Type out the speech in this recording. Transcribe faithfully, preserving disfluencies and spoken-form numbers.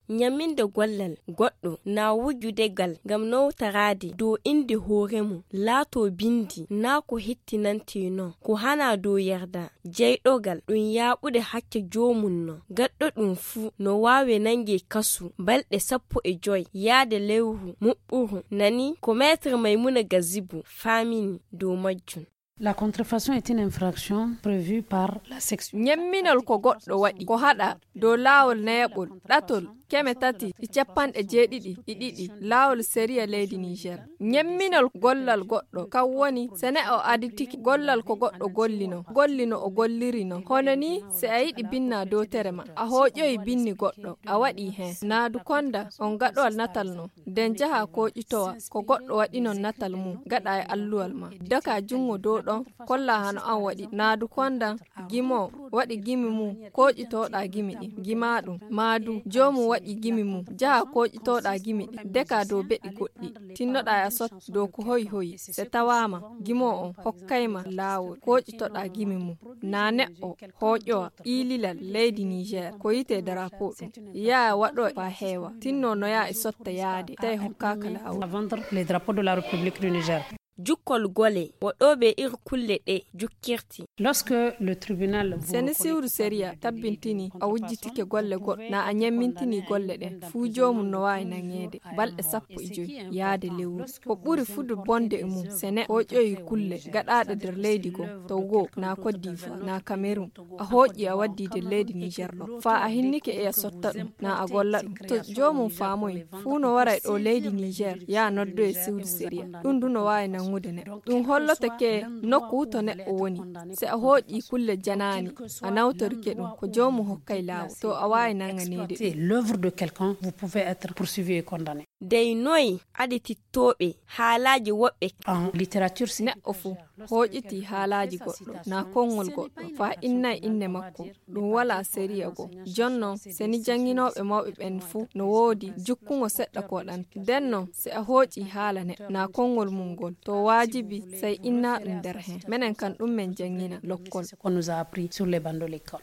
Ñamminde gollal goɗɗo na wujude ngal ngam nawtoraade dow innde hoore mum, laatoo binndi naa ko hettinantee non, ko hanaa dow yarda jeyɗogal, ɗum yaaɓude hakke joomum non. Gaɗɗo ɗum fuu no waawi nannge kasu balɗe sappo e joy yaade lewru muɓɓuru, nani ko Maître Maimouna Gazibu faamini dow majjum. La contrefaçon est une infraction prévue par la section. Ñemminol ko goɗɗo waɗi, ko haɗa dow laawol nayaɓol, ɗatol, keme tati e capanɗe jeeɗiɗi e ɗiɗi, laawol sariya leydi Niger. Ñemminol gollal goɗɗo, kam woni so neɗɗo aditike gollal ko goɗɗo gollino, gollino o gollirino. Hono ni, si a yiɗi binna dow tere ma, a hooƴoyi binni goɗɗo, a waɗi heen. Naadu konda on gaɗowal natal non. Nden jaha kooƴitowa ko goɗɗo waɗi non natal mum, gaɗa e alluwal ma. Daka junngo dow ɗon, kolla hano an waɗi. Naadu kondan gimo waɗi gimi mum, kooƴitoɗa gimi ɗin, gima ɗum. Maadu joomum waɗi gimi mum, jaha kooƴitoɗa gimi ɗin, deka dow beɗi goɗɗi. Tinnoɗa e a sot dow ko hoyi hoyi. Se tawaama gimo on hokkay ma laawol, kooƴitoɗa gimi mum. Na neɗɗo hooƴowa iililal leydi Niger, ko yite drapeau ɗum. Yaa waɗo fa heewa. Tinno no yaa e sotta yaade, tawi hokkaaka laawol. Vendre les drapeaux de la République du Niger. Jukkol gole, waɗooɓe iri kulle ɗe jukkirti. Lorsque le tribunal vous Seni reconnaît siwru sériya tabbintini a wujjitike golle goɗɗo, na a ñammintini golle ɗen, fuu joomum no waawi naŋeede balɗe sappo e joy yaade lewru. Ko ɓuri fuɗde bonde e mum, sene hooƴoyi kulle gaɗaaɗe nder leydi goo, to goo, na Côte d'Ivoire, na Cameroun. A hooƴi a waddi nder leydi Niger ɗo. Faa a hinnike e a sotta ɗum, na a golla ɗum. To joomum faamoyi, fuu no waray ɗo leydi Niger, yaa noddoye siwru sériya. Ɗum du no waawi nanŋude neɗɗo. Ɗum holloto ke nokku to neɗɗo woni. Si a hooƴi kulle janaani, a nawtorike ɗum, ko joomum hokkay laawol. To a waawi nanŋaneede ɗum. C'est l'œuvre de quelqu'un, vous pouvez être poursuivi et condamné. Dey noy aditittooɓe haalaaji woɓɓe? En littérature, c'est neɗɗo fuu hooƴiti haalaaji goɗɗo, na konngol goɗɗo, faa innay innde makko. Ɗum walaa sériya goo. Jonnon, seni jannginooɓe mawɓe ɓen fuu no woodi jukkungo seɗɗa ko ɗan. Nden non, si a hooƴi haala neɗɗo, na konngol mum ngol, to waajibi, sey inna ɗum nder hen. Menen kan ɗum men janngina lokkol. Ce qu'on nous a appris sur les bancs de l'école.